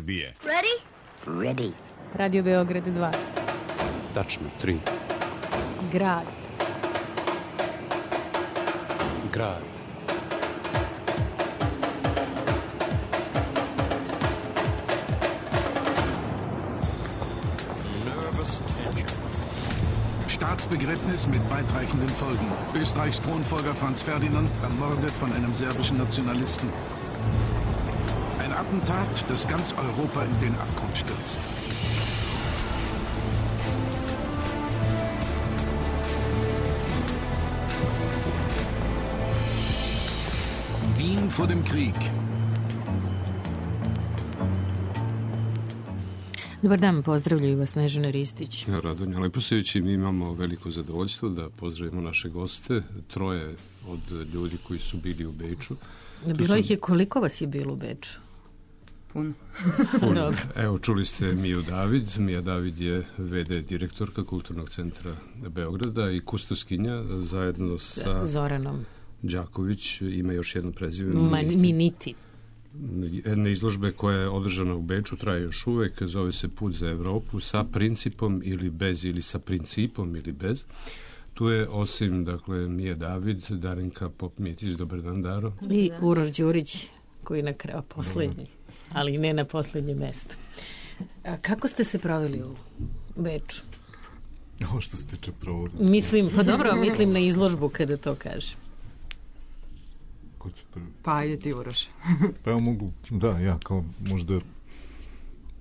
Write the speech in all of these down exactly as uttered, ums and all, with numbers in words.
Srbije. Ready? Ready. Radio Beograd dva. Tačno, tri. Grad. Grad. Staatsbegräbnis mit weitreichenden Folgen. Österreichs Thronfolger Franz Ferdinand ermordet von einem serbischen Nationalisten. Ein Attentat, das ganz Europa in den Abgrund stürzt. Wien vor dem Krieg. Dobar dan, pozdravljaju vas Snežana Ristić. Radonja Leposević i mi imamo veliko zadovoljstvo da pozdravimo naše goste, troje od ljudi koji su bili u Beču. Bilo su... ih je, koliko vas je bilo u Beču? Puno. Puno. Evo, čuli ste Miju David. Mija David je ve de direktorka Kulturnog centra Beograda i kustoskinja zajedno sa Zoranom Đaković. Ima još jedno prezime. Ma, Miniti. Jedna izložbe koja je održana u Beču, traje još uvek, zove se Put za Evropu, sa principom ili bez, ili sa principom ili bez. Tu je osim, dakle, Mije David, Darinka Pop-Mitić, dobar dan, Daro. I Uroš Đurić, koji na kraju poslednji, ali ne na poslednje mesto. A kako ste se proveli u Beču? Ovo što se tiče provodi. Mislim, pa dobro, mislim na izložbu kada to kažem. Pa ajde ti, Uroš. Pa ja mogu, da, ja kao možda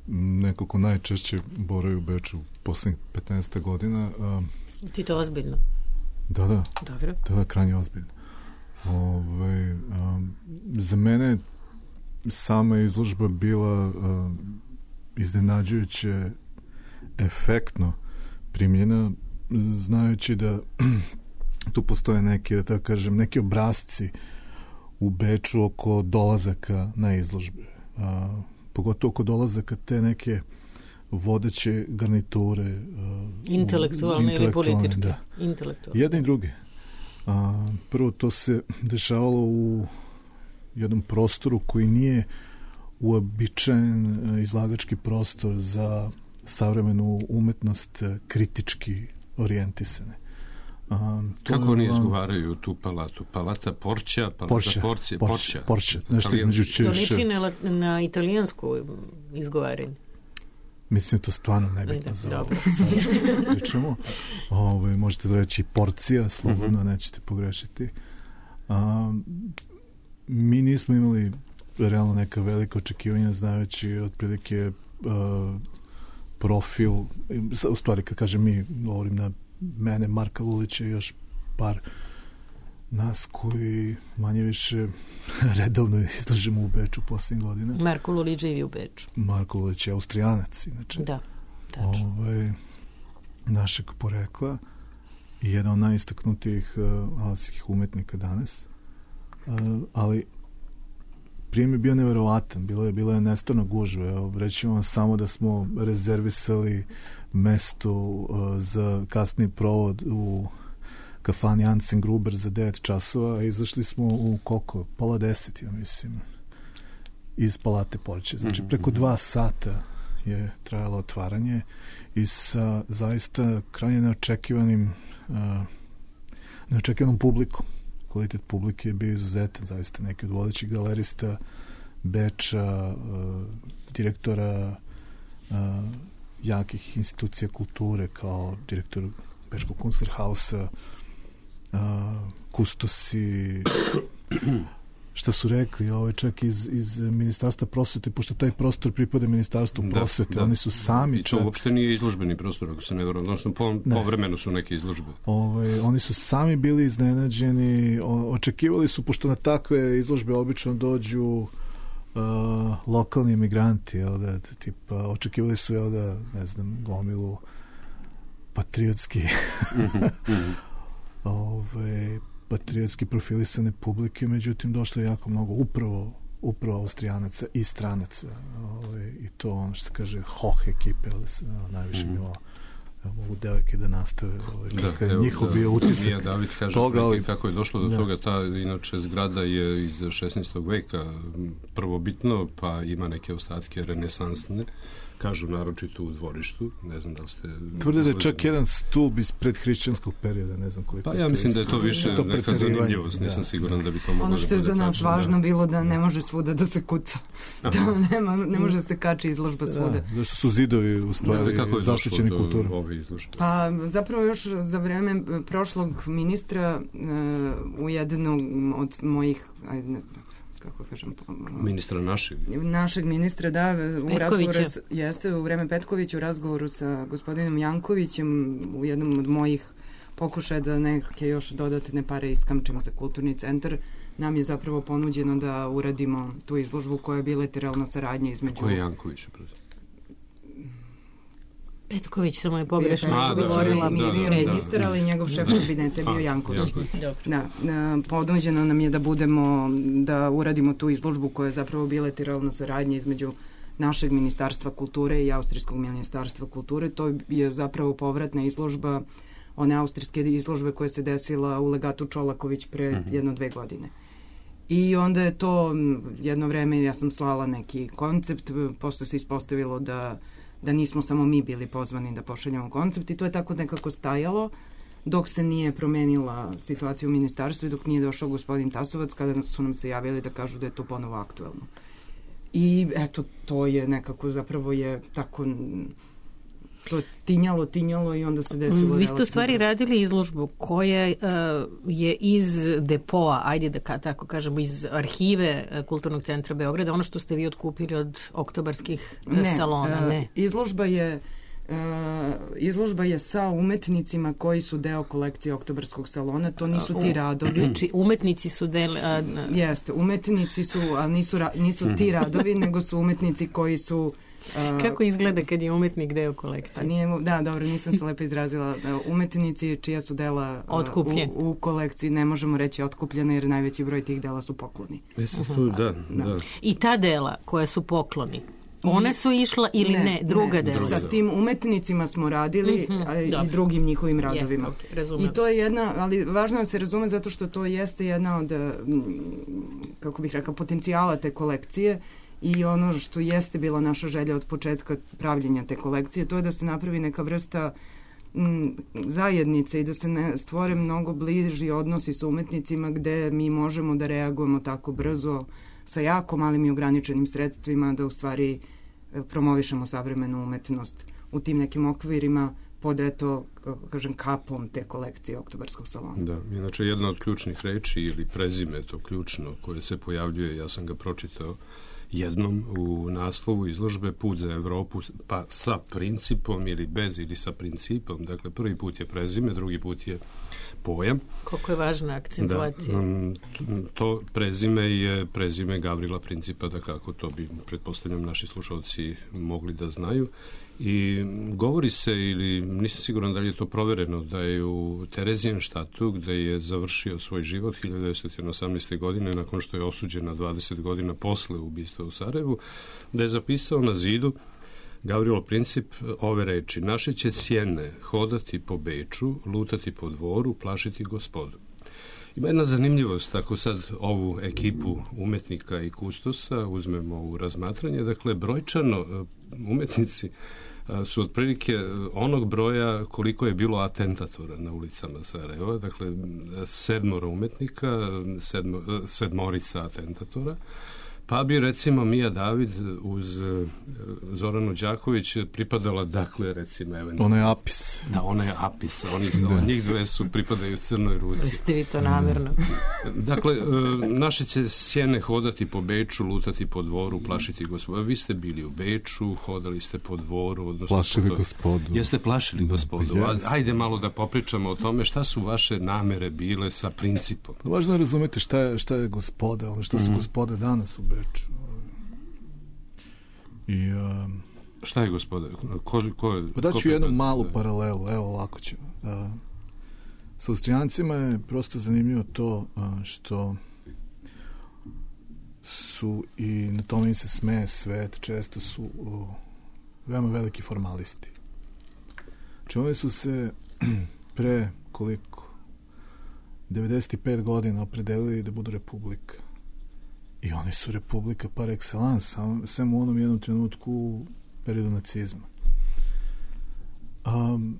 neko ko najčešće boravi u Beču poslednjih petnaest godina. A, ti to ozbiljno? Da, da. Dobro. Da, da, krajnje ozbiljno. Ove, a, za mene sama izložba bila a, iznenađujuće efektno primljena, znajući da tu postoje neke, da tako kažem, neki obrazci u Beču oko dolazaka na izložbe. A, pogotovo oko dolazaka te neke vodeće garniture. A, intelektualne ili političke? Da. Intelektualne. Jedni i drugi. A, prvo, to se dešavalo u jednom prostoru koji nije uobičajen izlagački prostor za savremenu umetnost kritički orijentisane. Um, Kako oni izgovaraju tu palatu? Palata Porća, palata Porća, Porcija, Porća, Porća, nešto između češ. To liči na, na italijansku izgovaranje. Mislim, to stvarno nebitno za ovo. Pričamo. Ove, možete da reći Porcija, slobodno, uh-huh. nećete pogrešiti. Um, mi nismo imali realno neka velika očekivanja, znajući otprilike uh, profil, u stvari kad kažem mi, govorim na mene, Marka Lulića i još par nas koji manje više redovno izlažemo u Beču posljednjih godina. Marko Lulić živi u Beču. Marko Lulić je Austrijanac, inače. Da, tačno. Ovaj, našeg porekla i jedan od najistaknutijih uh, austrijskih umetnika danas. Uh, ali prijem je bio neverovatan. Bilo je, bilo je nestvarno gužve. Evo, reći vam samo da smo rezervisali mesto uh, za kasni provod u kafani Ansen Gruber za devet časova, a izašli smo u koliko? Pola deset, ja mislim, iz Palate Porće. Znači, preko dva sata je trajalo otvaranje i sa zaista krajnje neočekivanim uh, neočekivanom publikom. Kvalitet publike je bio izuzetan, zaista neki od vodećih galerista Beča, uh, direktora uh, jakih institucija kulture kao direktor Bečkog Kunstlerhausa, uh, kustosi, šta su rekli, ovaj čak iz, iz Ministarstva prosvete, pošto taj prostor pripada Ministarstvu prosvete, da, da. Oni su sami i to čak... uopšte nije izložbeni prostor, ako se ne varam, odnosno po, ne. povremeno su neke izložbe. Ovaj, oni su sami bili iznenađeni, o, očekivali su, pošto na takve izložbe obično dođu uh, lokalni emigranti, jel da, tipa, očekivali su, jel da, ne znam, gomilu patriotski ovaj, patriotski profilisane publike, međutim došlo je jako mnogo upravo upravo Austrijanaca i stranaca, ovaj, i to ono što se kaže hoh ekipe, ali se no, najviše mm-hmm. nivo da mogu devojke da nastave ovaj, da, kada je njihov da, bio utisak Mija David kaže toga, ali, kako je došlo do da. toga. Ta inače zgrada je iz šesnaestog veka prvobitno, pa ima neke ostatke renesansne, kažu naročito u dvorištu, ne znam da li ste... Tvrde da je čak jedan stup iz predhrišćanskog perioda, ne znam koliko... Pa ja mislim da je to više to neka zanimljivost, nisam da, siguran da bi to moglo... Ono što je za nas kačem, važno da. bilo da ne može svuda da se kuca. Da nema, ne može se kači izložba svuda. Da, zašto su zidovi u stvari da, zaštićeni kulturom? Ove izložbe? Pa zapravo još za vreme prošlog ministra uh, u jednom od mojih... Ajde, kako kažem, ministra našeg. Našeg ministra, da, u razgovoru s, jeste u vreme Petkovića, u razgovoru sa gospodinom Jankovićem, u jednom od mojih pokušaja da neke još dodatne pare iskamčemo za kulturni centar, nam je zapravo ponuđeno da uradimo tu izložbu koja je bilateralna saradnja između... Ko je Janković? Petković, samo je pogrešno. Petković je bio registar, ali njegov šef kabineta je bio Janković. Da, ponuđeno nam je da budemo, da uradimo tu izložbu koja je zapravo bilateralna saradnja između našeg ministarstva kulture i austrijskog ministarstva kulture. To je zapravo povratna izložba one austrijske izložbe koja se desila u legatu Čolaković pre uh-huh. jedno dve godine. I onda je to jedno vreme, ja sam slala neki koncept, posle se ispostavilo da da nismo samo mi bili pozvani da pošaljamo koncept i to je tako nekako stajalo dok se nije promenila situacija u ministarstvu i dok nije došao gospodin Tasovac kada su nam se javili da kažu da je to ponovo aktuelno. I eto, to je nekako zapravo je tako to tinjalo, tinjalo i onda se desilo... Vi ste u stvari radili izložbu koja uh, je iz depoa, ajde da tako kažemo, iz arhive Kulturnog centra Beograda, ono što ste vi otkupili od oktobarskih ne, salona, uh, ne? Izložba je Uh, izložba je sa umetnicima koji su deo kolekcije Oktobarskog salona, to nisu ti radovi. Znači, umetnici su del... Uh, Jeste, umetnici su, ali nisu, ra, nisu ti radovi, nego su umetnici koji su... Uh, Kako izgleda kad je umetnik deo kolekcije? Nije, da, dobro, nisam se lepo izrazila. Umetnici čija su dela uh, u, u kolekciji, ne možemo reći otkupljene, jer najveći broj tih dela su pokloni. Mislim tu, da, da. da. I ta dela koja su pokloni, one su išla ili ne, ne druga dela? Sa tim umetnicima smo radili mm-hmm, a, i drugim njihovim radovima. Jeste, okay, I to je jedna, ali važno je da se razume zato što to jeste jedna od, kako bih rekla, potencijala te kolekcije i ono što jeste bila naša želja od početka pravljenja te kolekcije, to je da se napravi neka vrsta m, zajednice i da se ne stvore mnogo bliži odnosi sa umetnicima gde mi možemo da reagujemo tako brzo sa jako malim i ograničenim sredstvima da u stvari promovišemo savremenu umetnost u tim nekim okvirima pod, eto, kažem, kapom te kolekcije Oktobarskog salona. Da, inače jedna od ključnih reči ili prezime, to ključno, koje se pojavljuje, ja sam ga pročitao jednom u naslovu izložbe Put za Evropu, pa sa principom ili bez ili sa principom. Dakle, prvi put je prezime, drugi put je pojam. Koliko je važna akcentuacija. Da, to prezime je prezime Gavrila Principa, da kako to bi, pretpostavljam, naši slušalci mogli da znaju. I govori se, ili nisam siguran da li je to provereno, da je u Terezijenštatu, gde je završio svoj život hiljadu devetsto osamnaeste. godine, nakon što je osuđen na dvadeset godina posle ubistva u Sarajevu, da je zapisao na zidu Gavrilo Princip ove reči: naše će sjene hodati po Beču, lutati po dvoru, plašiti gospodu. Ima jedna zanimljivost, ako sad ovu ekipu umetnika i kustosa uzmemo u razmatranje, dakle, brojčano umetnici su otprilike onog broja koliko je bilo atentatora na ulicama Sarajeva, dakle, sedmoro umetnika, sedmo, sedmorica atentatora, pa bi, recimo, Mija David uz Zoranu Đaković pripadala, dakle, recimo, eventualno... Ona je Apis. Da, ona je Apis. Oni su, da. Njih dve su pripadaju Crnoj Ruci. Ste vi to namjerno? Dakle, naše će sjene hodati po Beču, lutati po dvoru, plašiti gospodu. Vi ste bili u Beču, hodali ste po dvoru, odnosno... Plašili po... gospodu. Jeste plašili gospodu. Yes. Ajde malo da popričamo o tome šta su vaše namere bile sa Principom. Važno je razumeti šta je, šta je gospoda, ono šta su mm. gospode danas u Beču. I, um, šta je gospoda? Ko, ko, pa daću ko jednu malu da... paralelu, evo ovako ćemo. Uh, sa Austrijancima je prosto zanimljivo to uh, što su, i na tome im se smeje svet, često su uh, veoma veliki formalisti. Znači oni su se pre koliko devedeset pet godina opredelili da budu republika. I oni su republika par excellence, samo u onom jednom trenutku u periodu nacizma. Um,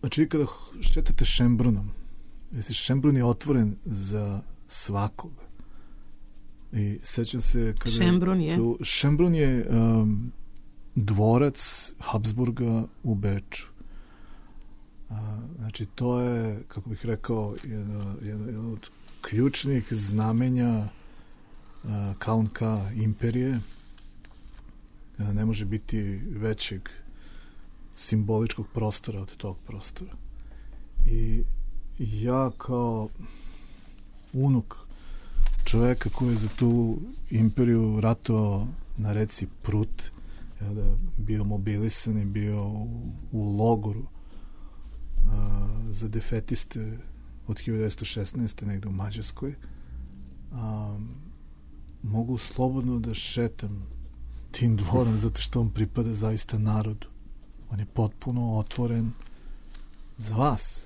znači, kada šetate Šembrunom, jesi Šembrun je otvoren za svakoga. I sećam se kada... Šembrun je? Tu, Šembrun je um, dvorac Habsburga u Beču. Uh, znači, to je, kako bih rekao, jedno, jedno, jedno od ključnih znamenja uh, Kaunka imperije. Uh, ne može biti većeg simboličkog prostora od tog prostora. I ja kao unuk čoveka koji je za tu imperiju ratovao na reci Prut, ja da bio mobilisan i bio u, u logoru a, za defetiste od hiljadu devetsto šesnaeste negde u Mađarskoj, a, mogu slobodno da šetam tim dvorom zato što on pripada zaista narodu. On je potpuno otvoren za vas.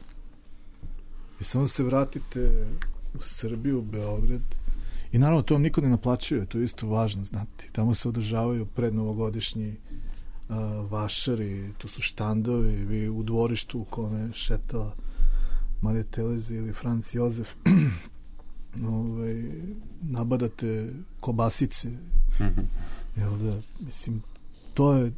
I samo se vratite u Srbiju, u Beograd, i naravno to vam niko ne naplaćuje, to je isto važno znati. Tamo se održavaju prednovogodišnji uh, vašari, tu su štandovi, vi u dvorištu u kome šeta Marija Terezija ili Franc Jozef ovaj, nabadate kobasice. Mm-hmm. Jel da, mislim, to je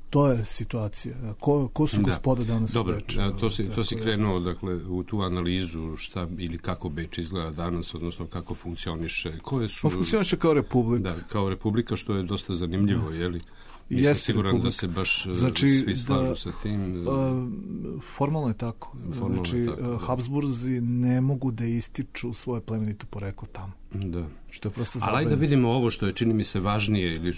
to je situacija. Ko, ko su gospoda da. danas Dobro, u Beču? Dobro, to si, to si krenuo dakle, u tu analizu šta ili kako Beč izgleda danas, odnosno kako funkcioniše. Koje su... On funkcioniše kao republika. Da, kao republika, što je dosta zanimljivo, da. Je li? Nisam Jeste siguran republika. Da se baš znači, svi slažu da, sa tim. A, formalno je tako. Formalno znači, je tako, da. Habsburzi ne mogu da ističu svoje plemenito poreklo tamo. Da. Što je prosto ali ajde da vidimo ovo što je, čini mi se, važnije, ili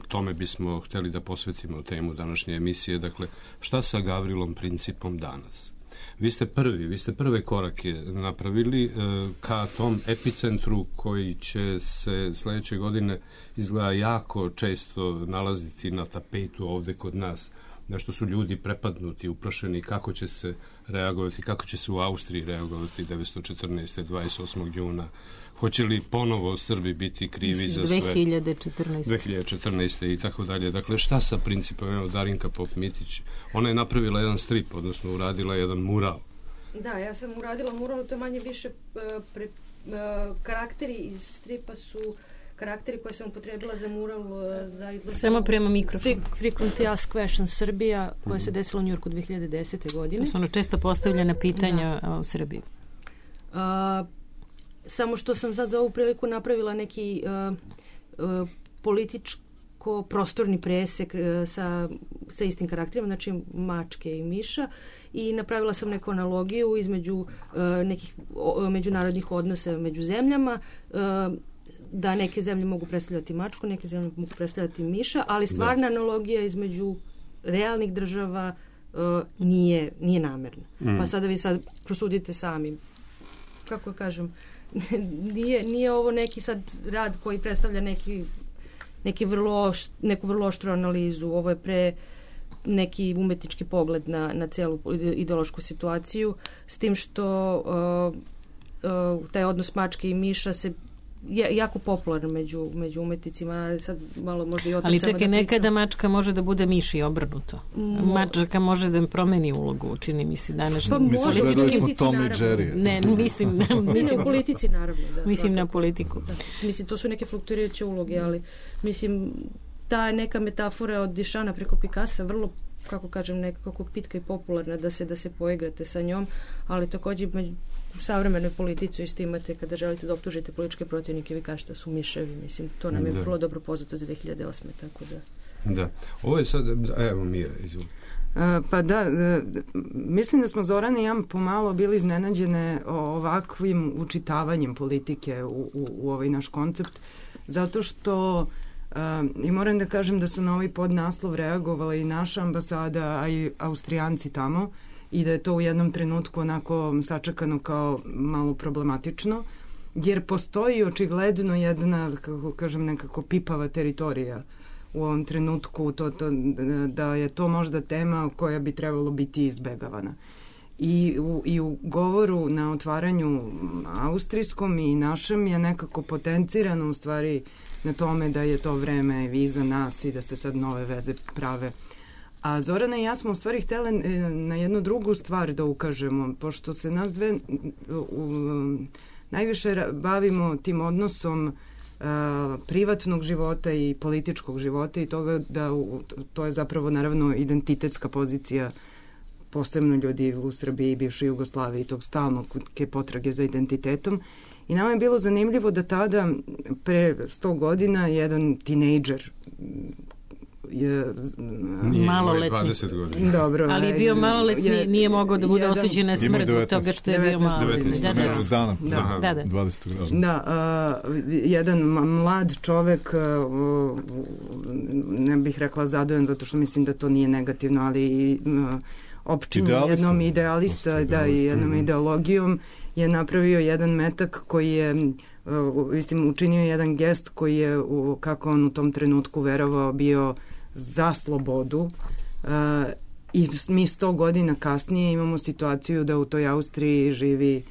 tome bismo hteli da posvetimo temu današnje emisije. Dakle, šta sa Gavrilom Principom danas? Vi ste prvi, vi ste prve korake napravili e, ka tom epicentru koji će se sledeće godine izgleda jako često nalaziti na tapetu ovde kod nas, na što su ljudi prepadnuti, uprašeni kako će se reagovati, kako će se u Austriji reagovati devetsto četrnaeste. dvadeset osmog juna. Hoće li ponovo Srbi biti krivi za sve? dve hiljade četrnaeste. dve hiljade četrnaeste. i tako dalje. Dakle, šta sa Principom? Evo, Darinka Pop-Mitić. Ona je napravila jedan strip, odnosno uradila jedan mural. Da, ja sam uradila mural, to je manje više uh, pre, uh, karakteri iz stripa su karakteri koje sam upotrebila za mural uh, za izložbu. Samo prema mikrofonu. Frequently Asked Questions Srbija, koja mm-hmm. se desila u Njujorku dve hiljade desete. godine. To su ono često postavljena pitanja da. u Srbiji. Uh, samo što sam sad za ovu priliku napravila neki uh, uh, političko prostorni presek uh, sa, sa istim karakterima, znači mačke i miša, i napravila sam neku analogiju između uh, nekih o, međunarodnih odnosa među zemljama, uh, da neke zemlje mogu predstavljati mačku, neke zemlje mogu predstavljati miša, ali stvarna da. analogija između realnih država uh, nije, nije namerna. Mm. Pa sada vi sad prosudite sami. Kako kažem, nije, nije ovo neki sad rad koji predstavlja neki, neki vrlo, neku vrlo oštru analizu. Ovo je pre neki umetnički pogled na, na celu ideološku situaciju, s tim što uh, uh, taj odnos mačke i miša se je jako popularan među, među umetnicima, sad malo možda i o tom. Ali čekaj, da nekada mačka može da bude miš i obrnuto. Mo... Mačka može da promeni ulogu, čini mi se današnji. Pa može, politički smo Tom i Jerry. Ne, mislim, mislim u politici naravno. Da, mislim svakako. na politiku. Da. Mislim, to su neke fluktuirajuće uloge, ali mislim, ta neka metafora od Dišana preko Pikasa vrlo, kako kažem, nekako pitka i popularna da se da se poigrate sa njom, ali takođe među u savremenoj politici isto imate kada želite da optužite političke protivnike, vi kažete da su miševi, mislim, to nam je da. vrlo dobro poznato za dve hiljade osme. Tako da. Da. Ovo je sad, evo Mija, izvoli. Pa da, mislim da smo Zorana i ja pomalo bili iznenađene ovakvim učitavanjem politike u, u, u ovaj naš koncept, zato što i moram da kažem da su na ovaj podnaslov reagovala i naša ambasada, a i Austrijanci tamo, i da je to u jednom trenutku onako sačekano kao malo problematično, jer postoji očigledno jedna, kako kažem, nekako pipava teritorija u ovom trenutku, to, to, da je to možda tema koja bi trebalo biti izbegavana. I u, i u govoru na otvaranju austrijskom i našem je nekako potencirano u stvari na tome da je to vreme iza nas i da se sad nove veze prave. A Zorana i ja smo u stvari htjeli na jednu drugu stvar da ukažemo, pošto se nas dve u, najviše bavimo tim odnosom uh, privatnog života i političkog života i toga da u, to je zapravo naravno identitetska pozicija posebno ljudi u Srbiji i bivšoj Jugoslaviji, tog stalnog potrage za identitetom. I nama je bilo zanimljivo da tada, pre sto godina, jedan tinejdžer je maloletni. Dobro, ali je bio maloletni, je, nije mogao da bude osuđen na smrt zbog toga što je bio maloletni. Da, da, dana, da, da, da. dvadeset Da, uh, jedan mlad čovek, uh, ne bih rekla zadovoljan, zato što mislim da to nije negativno, ali uh, opčinjen jednom idealista, da, i jednom ideologijom je napravio jedan metak koji je uh, mislim, učinio jedan gest koji je, uh, kako on u tom trenutku verovao, bio za slobodu uh, i mi sto godina kasnije imamo situaciju da u toj Austriji živi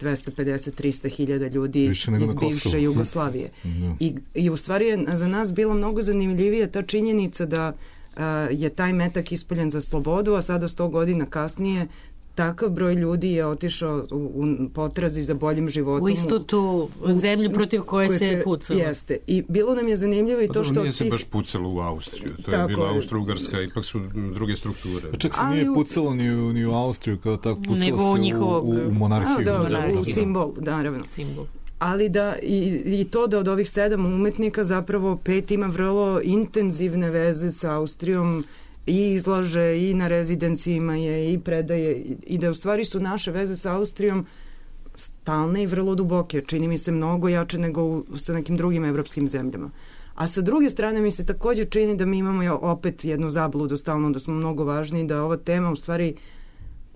dvesta pedeset do trista hiljada ljudi iz bivše Jugoslavije. No. I, I u stvari je za nas bilo mnogo zanimljivije ta činjenica da uh, je taj metak ispaljen za slobodu, a sada sto godina kasnije takav broj ljudi je otišao u, u potrazi za boljim životom. U istu tu zemlju protiv koje, koje se pucalo. Jeste. I bilo nam je zanimljivo i to pa, što... Nije se baš pucalo u Austriju. To tako je bila Austro-Ugarska, ipak su druge strukture. A čak se nije u... pucalo ni u, ni u Austriju, kao tako pucalo nego se u, njihovog... u, u monarhiju. A, dobro, da, u simbol, da, naravno. Simbol. Ali da, i, i to da od ovih sedam umetnika zapravo pet ima vrlo intenzivne veze sa Austrijom i izlaže i na rezidencijima je i predaje i da u stvari su naše veze sa Austrijom stalne i vrlo duboke, čini mi se mnogo jače nego u, sa nekim drugim evropskim zemljama. A sa druge strane mi se također čini da mi imamo opet jednu zabludu stalno da smo mnogo važni, da ova tema u stvari,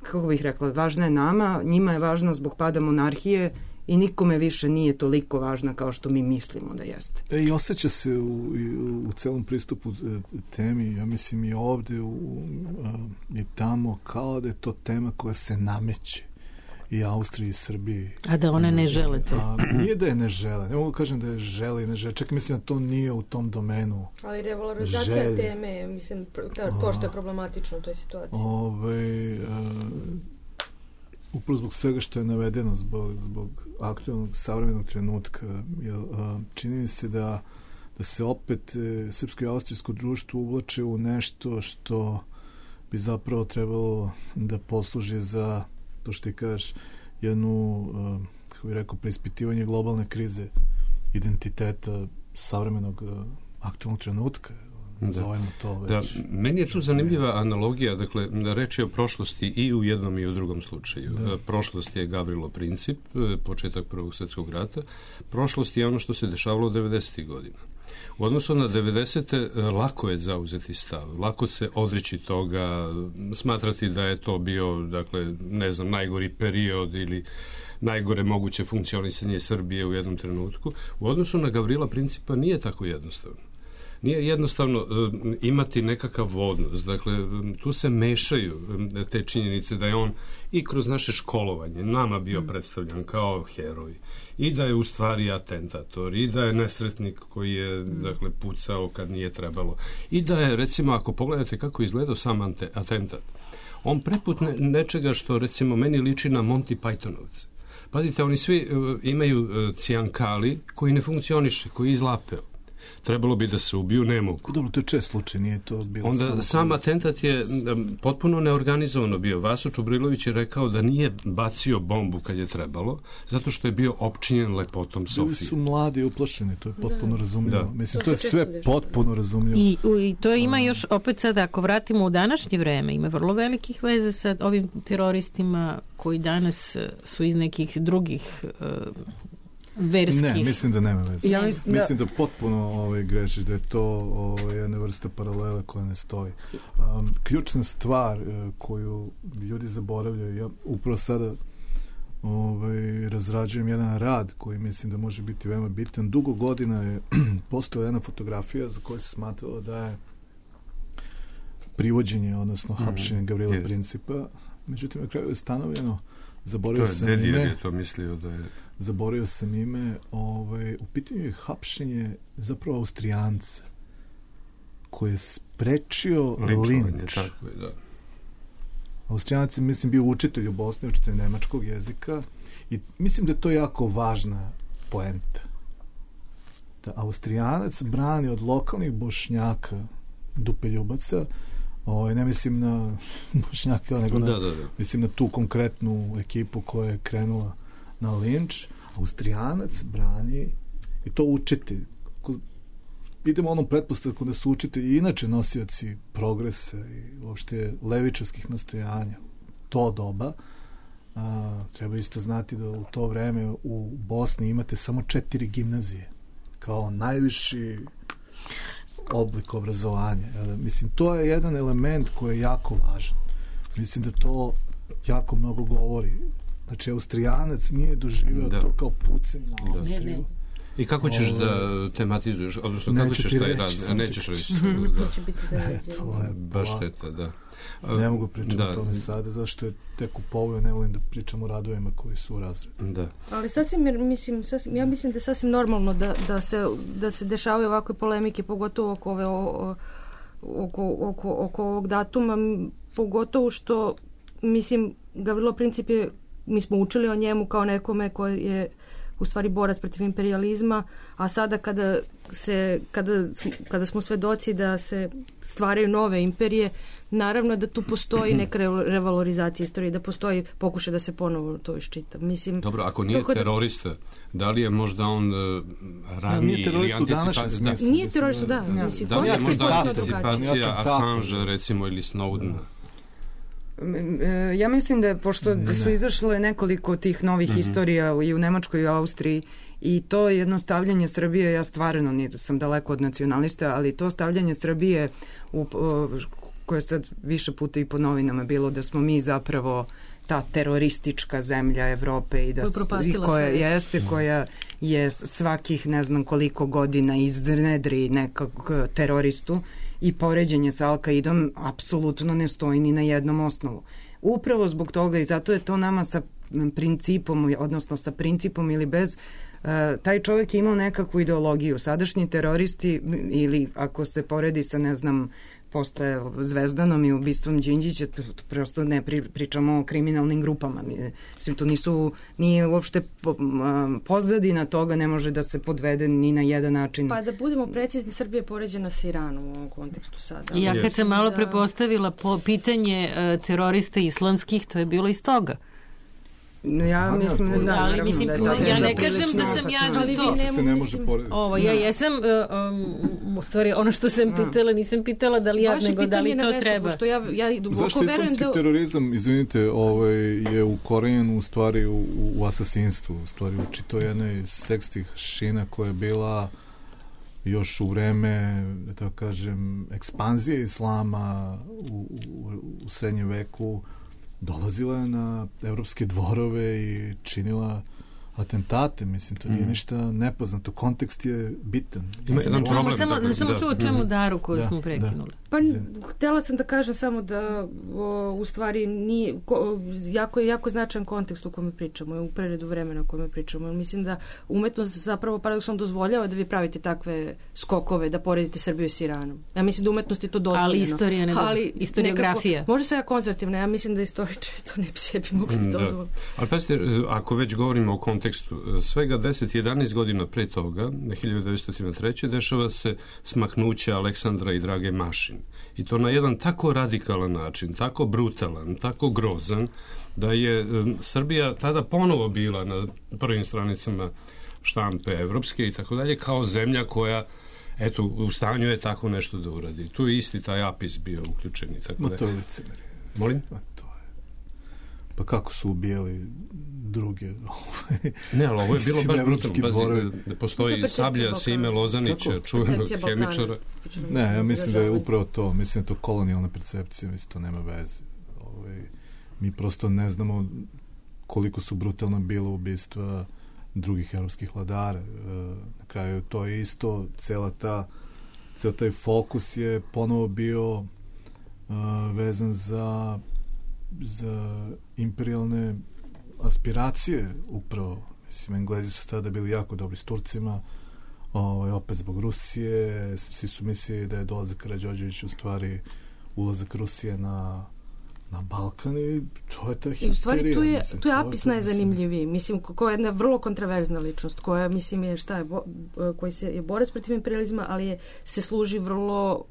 kako bih rekla, važna je nama, njima je važna zbog pada monarhije i nikome više nije toliko važna kao što mi mislimo da jeste. E, i osjeća se u, u, u celom pristupu temi, ja mislim i ovde u, i tamo, kao da je to tema koja se nameće i Austriji i Srbiji. A da one ne žele to. A, nije da je ne žele, ne mogu kažem da je žele i ne žele, čak mislim da to nije u tom domenu. Ali revalorizacija želje. Teme, mislim, to što je problematično u toj situaciji. Ove, a, upravo zbog svega što je navedeno, zbog, zbog aktualnog savremenog trenutka, jel, a, čini mi se da, da se opet e, srpsko i austrijsko društvo uvlače u nešto što bi zapravo trebalo da posluži za to što ti kažeš, jednu, a, kako bih rekao, preispitivanje globalne krize identiteta savremenog a, aktualnog trenutka. Da. To već. Da, meni je tu zanimljiva analogija, dakle, reč je o prošlosti i u jednom i u drugom slučaju. Da. Prošlost je Gavrilo Princip, početak Prvog svjetskog rata. Prošlost je ono što se dešavalo devedesetih godina. U odnosu na devedesete lako je zauzeti stav, lako se odreći toga, smatrati da je to bio, dakle, ne znam, najgori period ili najgore moguće funkcionisanje Srbije u jednom trenutku. U odnosu na Gavrila Principa nije tako jednostavno. Nije jednostavno uh, imati nekakav odnos. Dakle, tu se mešaju te činjenice da je on i kroz naše školovanje nama bio predstavljan kao heroj i da je u stvari atentator i da je nesretnik koji je dakle, pucao kad nije trebalo i da je, recimo, ako pogledate kako je izgledao sam ante, atentat, on preput ne, nečega što, recimo, meni liči na Monty Pythonovce. Pazite, oni svi uh, imaju uh, cijankali koji ne funkcioniše, koji je izlapeo. Trebalo bi da se ubiju, ne mogu. Dobro, to je čest slučaj, nije to bilo. Onda sam atentat je potpuno neorganizovano bio. Vaso Čubrilović je rekao da nije bacio bombu kad je trebalo, zato što je bio opčinjen lepotom Sofije. Bili su mladi i uplašeni, to je potpuno da. razumljivo. Da. Mislim, to, to je sve dešava. potpuno razumljivo. I, u, I to ima još, opet sada, ako vratimo u današnje vreme, ima vrlo velikih veze sa ovim teroristima koji danas su iz nekih drugih uh, verskih. Ne, mislim da nema veze. Ja mislim, da... mislim da potpuno ovaj, grešiš, da je to ovaj, jedna vrsta paralela koja ne stoji. Um, ključna stvar uh, koju ljudi zaboravljaju, ja upravo sada ovaj, razrađujem jedan rad koji mislim da može biti veoma bitan. Dugo godina je postojala jedna fotografija za koju se smatralo da je privođenje, odnosno hapšenje Gavrila mm, Principa. Međutim, na kraju je stanovljeno, zaboravio sam ime. Dedijer je to mislio da je... Zaboravio sam ime, ovaj, u pitanju je hapšenje zapravo Austrijanca koji je sprečio linč. Tako je, da. Austrijanac je, mislim, bio učitelj u Bosni, učitelj nemačkog jezika i mislim da je to jako važna poenta. Da Austrijanac brani od lokalnih Bošnjaka, dupeljubaca, ovaj, ne mislim na Bošnjaka, nego na, da, da, da. mislim na tu konkretnu ekipu koja je krenula na linč. Austrijanac brani i to učitelj. Idemo onom pretpostavku da su učitelji inače nosioci progresa i uopšte levičarskih nastojanja. To doba. A, treba isto znati da u to vreme u Bosni imate samo četiri gimnazije kao najviši oblik obrazovanja. Mislim, to je jedan element koji je jako važan. Mislim da to jako mnogo govori. Znači, Austrijanac nije doživeo da. to kao pucanje na Austriju. I kako ćeš Ovo, da tematizuješ, odnosno kako ćeš taj rad, a nećeš reći. Da. Će biti ne, to je baš šteta, da. Ne mogu pričati da. o tome sada, zašto je tek u povoju, ne volim da pričam o radovima koji su u razredu. Da. Ali sasvim, mislim, sasvim, ja mislim da je sasvim normalno da, da, se, da se dešavaju ovakve polemike, pogotovo oko, ove, o, oko, oko, oko ovog datuma, pogotovo što, mislim, Gavrilo Princip je, mi smo učili o njemu kao nekome koji je u stvari borac protiv imperijalizma, a sada kada se kada, kada smo svedoci da se stvaraju nove imperije, naravno da tu postoji neka revalorizacija istorije, da postoji pokušaj da se ponovo to iščita. Mislim, dobro, ako nije da, terorista, da li je možda on uh, raniji da, ili anticipacija? Da. Nije terorista, da. da. Mislim, da li je možda anticipacija Assange, recimo, ili Snowdena? Ja mislim da je, pošto ne. su izašle nekoliko tih novih mm-hmm. istorija i u Nemačkoj i u Austriji i to jedno stavljanje Srbije, ja stvarno nisam daleko od nacionalista, ali to stavljanje Srbije u, koje sad više puta i po novinama bilo da smo mi zapravo ta teroristička zemlja Evrope i da i koja sve. jeste, koja je svakih ne znam koliko godina iznedri nekog teroristu i poređenje sa Al-Kaidom apsolutno ne stoji ni na jednom osnovu. Upravo zbog toga i zato je to nama sa principom, odnosno sa principom ili bez, uh, taj čovjek je imao nekakvu ideologiju. Sadašnji teroristi ili ako se poredi sa, ne znam, posle Zvezdanom i ubistvom Đinđića, to, to prosto ne pri, pričamo o kriminalnim grupama. Mislim, to nisu, nije uopšte po, um, pozadina toga ne može da se podvede ni na jedan način. Pa da budemo precizni, Srbija je poređena sa Iranom u ovom kontekstu sada. Ja kad sam malo da... prepostavila po pitanje uh, terorista islamskih, to je bilo iz toga. Ja mislim ne znam, ali mislim, da je tako, ja ne kažem da sam ja za to. Ne, se ne može porediti. Ovo, ja jesam, um, u stvari, ono što sam pitala, nisam pitala da li ja, vaše nego da li to mesto, treba. Pošto ja, ja duboko zašto islamski da... terorizam, izvinite, ovaj, je ukorenjen u stvari u, u asasinstvu, u stvari u čito jednoj sekstih šina koja je bila još u vreme, da tako kažem, ekspanzije islama u, u, u srednjem veku, dolazila je na evropske dvorove i činila atentate, mislim, to nije mm. ništa nepoznato. Kontekst je bitan. Ima jedan problem. Samo da samo čuo čemu Daru koju da, smo prekinuli. Da. Pa htjela sam da kažem samo da o, u stvari nije, ko, jako je jako značajan kontekst u kome pričamo, u preredu vremena u kome pričamo. Mislim da umetnost zapravo paradoksalno dozvoljava da vi pravite takve skokove, da poredite Srbiju s Iranom. Ja mislim da umetnost je to dozvoljeno. Ali istorija ne dozvoljeno. Ali historiografija. Može se ja konzervativna, ja mislim da istoričari to ne bi sebi mogli da dozvoliti. Ali pazite, ako već govorimo o kontekstu, svega deset jedanaest godina pre toga, hiljadu devetsto treće. dešava se smaknuće Aleksandra i Drage Mašin. I to na jedan tako radikalan način, tako brutalan, tako grozan, da je um, Srbija tada ponovo bila na prvim stranicama štampe evropske i tako dalje, kao zemlja koja, eto, u stanju je tako nešto da uradi. Tu je isti taj apis bio uključen i tako dalje. Ma to je licemerje. Molim? Ma to je. Pa kako su ubijali druge? Ne, ali ovo je bilo baš brutalno. Pazi, da postoji Sablja Sime Lozanića, čuvenog hemičara. Ne, ja mislim da je upravo to. Mislim da je to kolonijalna percepcija, mislim to nema veze. Ovaj, mi prosto ne znamo koliko su brutalna bila ubistva drugih evropskih vladara. Na kraju to je isto, cela ta, ceo taj fokus je ponovo bio vezan za, za imperialne aspiracije upravo. Mislim, Englezi su tada bili jako dobri s Turcima, ovaj, opet zbog Rusije, svi su mislili da je dolazak Karađorđevića u stvari ulazak Rusije na na Balkan i to je ta histerija. I u stvari tu je, mislim, tu je Apis najzanimljiviji. Mislim, koja je jedna vrlo kontroverzna ličnost, koja, mislim, je šta je, bo, koji se je borac protiv imperializma, ali je, se služi vrlo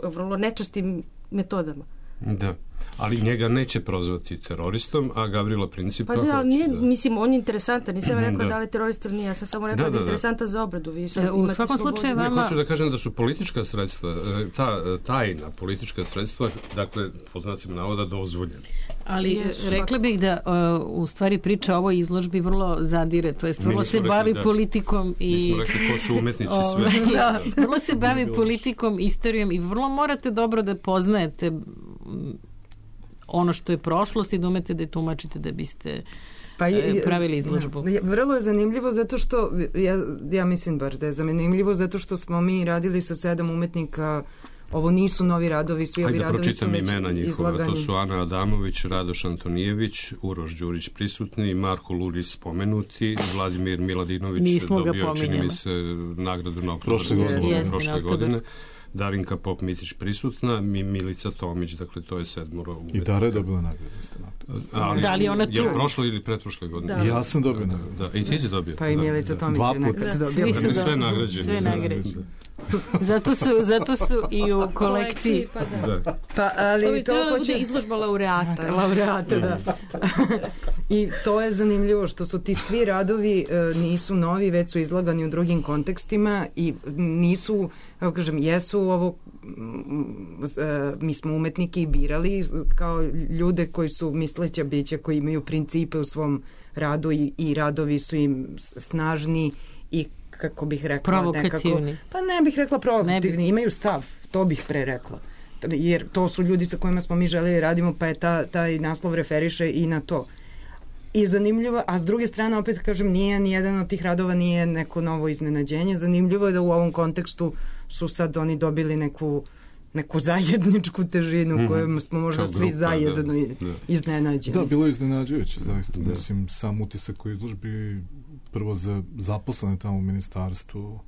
vrlo nečastim metodama. Da, ali njega neće prozvati teroristom, a Gavrila Principa... Pa da, ali nije, da. Mislim, on je interesantan, nisam rekla da, da li je terorist ili nije, ja sam samo rekla da, da, da je interesantan za obradu. Vi e, u svakom slučaju vama... Ne, hoću da kažem da su politička sredstva, ta tajna politička sredstva, dakle, po znacima navoda, dozvoljena. Ali yes, rekla bih da uh, u stvari priča o ovoj izložbi vrlo zadire, to jest vrlo se rekli, bavi da, politikom i... Mi smo rekli ko su umetnici sve. Da, vrlo se bavi politikom, istorijom i vrlo morate dobro da poznajete ono što je prošlost i da umete da je tumačite da biste pa je, pravili izložbu. Ja, vrlo je zanimljivo zato što, ja, ja mislim bar da je zanimljivo zato što smo mi radili sa sedam umetnika. Ovo nisu novi radovi, svi ovi radovi su već imena njihova, izlagani. To su Ana Adamović, Radoš Antonijević, Uroš Đurić prisutni, Marko Lulić spomenuti, Vladimir Miladinović dobio, čini mi se, nagradu na oktobarsku prošle, prošle godine. Darinka Pop-Mitić prisutna, mi Milica Tomić, dakle to je sedmoro umetnika. I Dara je dobila nagradu. Ali, da li ona tu? Je prošle ili pretprošle godine? Da. Ja sam dobio nagradu. Da, da, i ti si dobio. Pa i Milica Tomić da, je nekad da. dobila. Svi su sve nagrađeni. Sve nagrađeni. Zato su, zato su i u kolekciji. Pa, da. Da. Pa, ali to bi to trebalo da hoće... bude izložba laureata. Laureata, da. I to je zanimljivo što su ti svi radovi e, nisu novi, već su izlagani u drugim kontekstima i nisu, kako kažem, jesu ovo, e, mi smo umetnike i birali kao ljude koji su misleća bića, koji imaju principe u svom radu i, i radovi su im snažni i kako bih rekla nekako, pa ne bih rekla provokativni, imaju stav, to bih pre rekla. Jer to su ljudi sa kojima smo mi želeli radimo, pa je ta, taj naslov referiše i na to. I zanimljivo, a s druge strane opet kažem, nije nijedan od tih radova nije neko novo iznenađenje. Zanimljivo je da u ovom kontekstu su sad oni dobili neku neku zajedničku težinu mm-hmm. kojom smo možda grupa, svi zajedno da, da. iznenađeni. Da, bilo je iznenađujuće, zaista. Da. Mislim, sam utisak koji izložbi prvo za zaposlene tamo u ministarstvu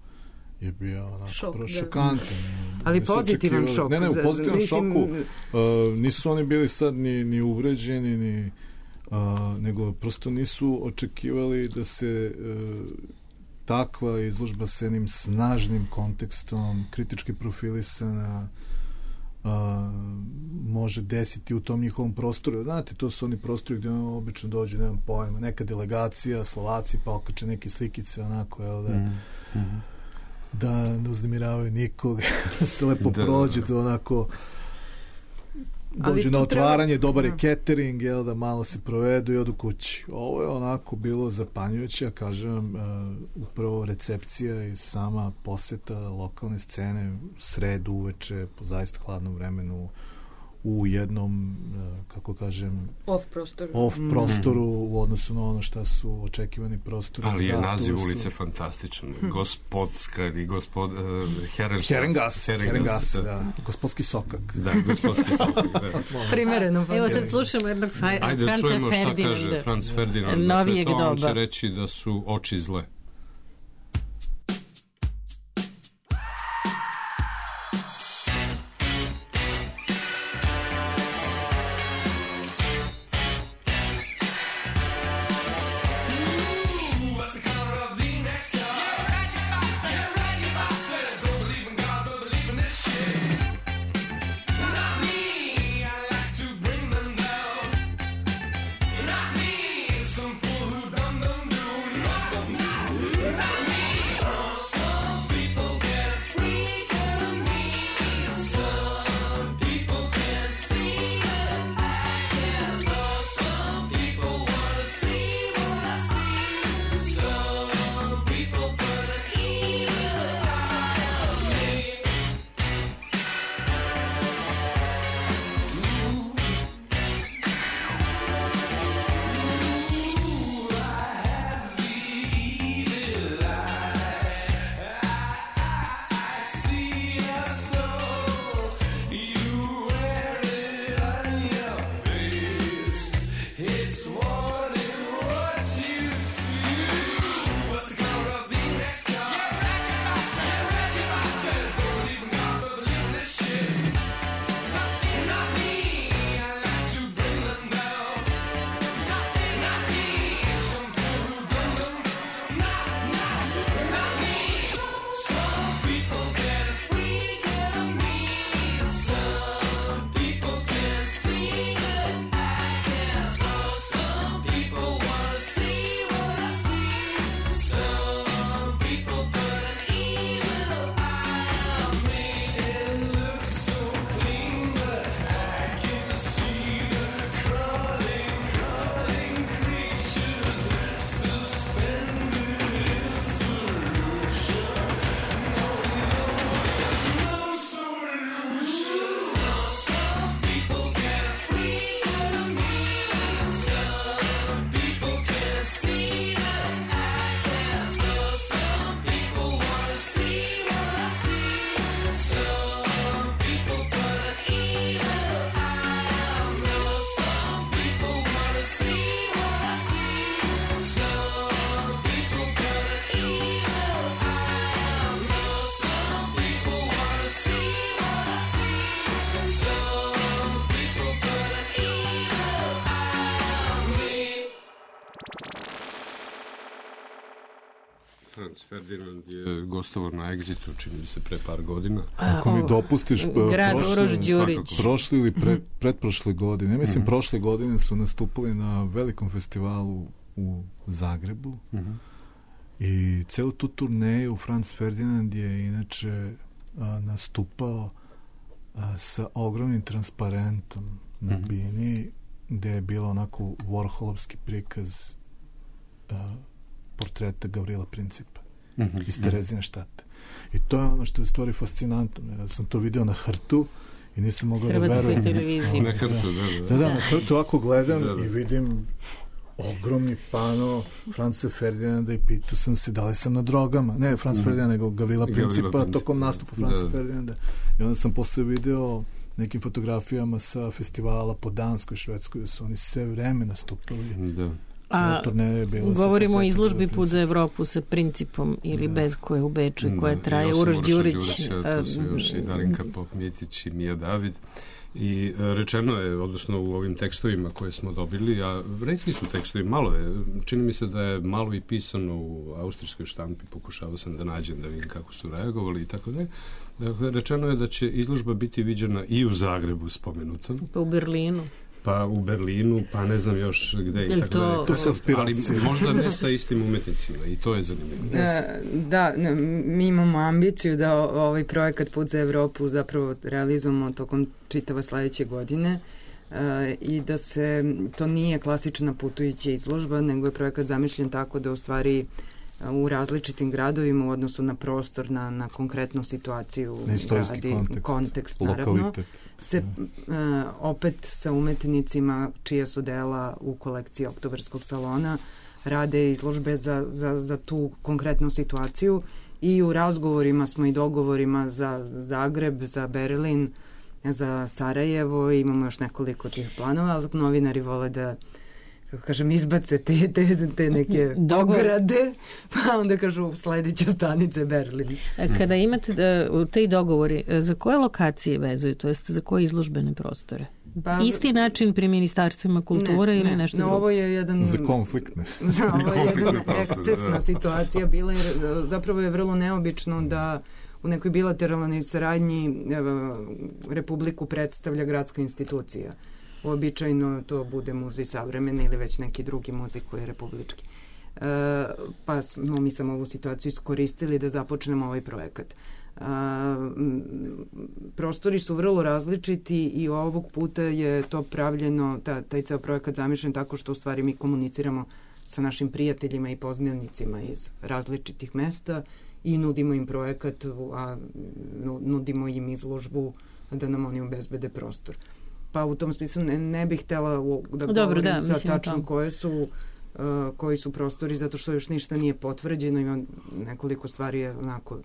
je bio onako šok, šokantan. Ali pozitivan šok. Ne, ne, u pozitivnom mislim... šoku. Uh, nisu oni bili sad ni, ni uvređeni, ni, uh, nego prosto nisu očekivali da se uh, takva izložba sa jednim snažnim kontekstom, kritički profilisana, uh, može desiti u tom njihovom prostoru. Znate, to su oni prostori gdje ono obično dođu, nemam pojma, neka delegacija, Slovaci, pa okače neke slikice, onako, jel da, mm-hmm. da ne uznemiravaju nikog, da se lepo da, prođe, da onako dođu na otvaranje, treba... dobar je catering, jel da malo se provedu i odu kući. Ovo je onako bilo zapanjujuće, kažem, uh, upravo recepcija i sama poseta lokalne scene sredu uveče po zaista hladnom vremenu u jednom, kako kažem, off prostoru, off prostoru mm. u odnosu na ono šta su očekivani prostori. Ali je naziv ulice fantastičan. Hm. Gospodska ili gospod... Uh, Herengas. Herengas, Herengas, da. da. Gospodski sokak. Da, gospodski sokak, da. Primereno. Evo sad slušamo jednog Franca Ferdinanda. Ajde, čujemo šta kaže Franz Ferdinand. Novijeg doba. On će reći da su oči zle. Not me, some fool who done them do. No, no. Franz Ferdinand je gostovao na Exitu, čini mi se pre par godina. Ako mi dopustiš, grad Uroš Đurić. Prošli ili pre, pretprošle godine, mislim mm-hmm. prošle godine su nastupili na velikom festivalu u Zagrebu mm-hmm. i celu tu turneju Franz Ferdinand je inače a, nastupao a, sa ogromnim transparentom na mm-hmm. bini, gde je bilo onako Warholovski prikaz a, portreta Gavrila Principa mm-hmm. iz Terezine štate. I to je ono što je u stvari fascinantno. Ja sam to video na hrtu i nisam mogao da verujem. Hrvatskoj televiziji. Na hrtu, da, da. Da, da, na hrtu ovako gledam da, da. I vidim ogromni pano Franca Ferdinanda i pitao sam se da li sam na drogama. Ne Franca mm. Ferdinanda, nego Gavrila Principa, Principa tokom nastupa Franca da, da. Ferdinanda. I onda sam posle video nekim fotografijama sa festivala po Danskoj, Švedskoj, da su oni sve vreme nastupali. Da. A govorimo o izložbi Put za Evropu sa Principom ili da. Bez, koje u Beču i koje traje Uroš Đurić. To su još i Darinka Pop-Mjetić i Mija David. I rečeno je, odnosno u ovim tekstovima koje smo dobili, a retki su tekstovi, malo je, čini mi se da je malo i pisano u austrijskoj štampi, pokušao sam da nađem da vidim kako su reagovali i tako dalje. Dakle, rečeno je da će izložba biti viđena i u Zagrebu spomenutom. Pa u Berlinu. Pa u Berlinu, pa ne znam još gde i tako to, da. To su aspiracije. Ali možda ne sa istim umetnicima i to je zanimljivo. Da, da, mi imamo ambiciju da ovaj projekat Put za Evropu zapravo realizujemo tokom čitava sledeće godine uh, i da se, to nije klasična putujuća izložba, nego je projekat zamišljen tako da u stvari u različitim gradovima u odnosu na prostor, na, na konkretnu situaciju, na istorijski radi, kontekst, kontekst naravno, lokalitet. Se uh, opet sa umetnicima čija su dela u kolekciji Oktobarskog salona rade izložbe za, za, za tu konkretnu situaciju i u razgovorima smo i dogovorima za Zagreb, za Berlin, za Sarajevo, imamo još nekoliko tih planova, ali novinari vole da kako kažem, izbace te, te, te neke ograde, pa onda kažu sledeća stanica Berlin. Kada imate da, te dogovori, za koje lokacije vezuju, to jest za koje izložbene prostore? Pa, isti način pri ministarstvima kulture ne, ili ne, nešto drugo? No, ovo je jedan... Za konfliktne. Da, ovo je jedna ekscesna da. situacija bila, jer zapravo je vrlo neobično da u nekoj bilateralnoj saradnji Republiku predstavlja gradska institucija. Običajno to bude muzej savremene ili već neki drugi muzej koji je republički. E, pa smo mi samo ovu situaciju iskoristili da započnemo ovaj projekat. E, prostori su vrlo različiti i ovog puta je to pravljeno, ta, taj ceo projekat zamišljen tako što u stvari mi komuniciramo sa našim prijateljima i poznanicima iz različitih mesta i nudimo im projekat, a nudimo im izložbu da nam oni obezbede prostor. Pa u tom smislu ne, ne bih htjela da Dobro, govorim da, sa tačno koje su, uh, koji su prostori, zato što još ništa nije potvrđeno, ima nekoliko stvari je onako